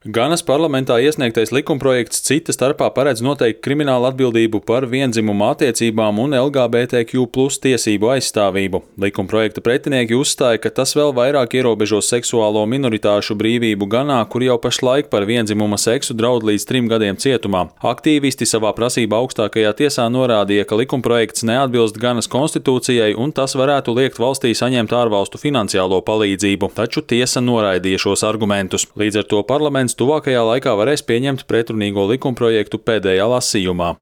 Ganas parlamentā iesniegtais likumprojekts cita starpā paredz noteikt kriminālu atbildību par viendzimumu attiecībām un LGBTQ+ tiesību aizstāvību. Likumprojekta pretinieki uzstāja, ka tas vēl vairāk ierobežos seksuālo minoritāšu brīvību Ganā, kur jau pašlaik par vienzimuma seksu draud līdz 3 gadiem cietumā. Aktīvisti savā prasībā augstākajā tiesā norādīja, ka likumprojekts neatbilst Ganas konstitūcijai un tas varētu liekt valstī saņemt ārvalstu finansiālo palīdzību, taču tiesa noraidīja šos argumentus. Līdz ar to parlaments tuvākajā laikā varēs pieņemt pretrunīgo likumprojektu pēdējā lasījumā.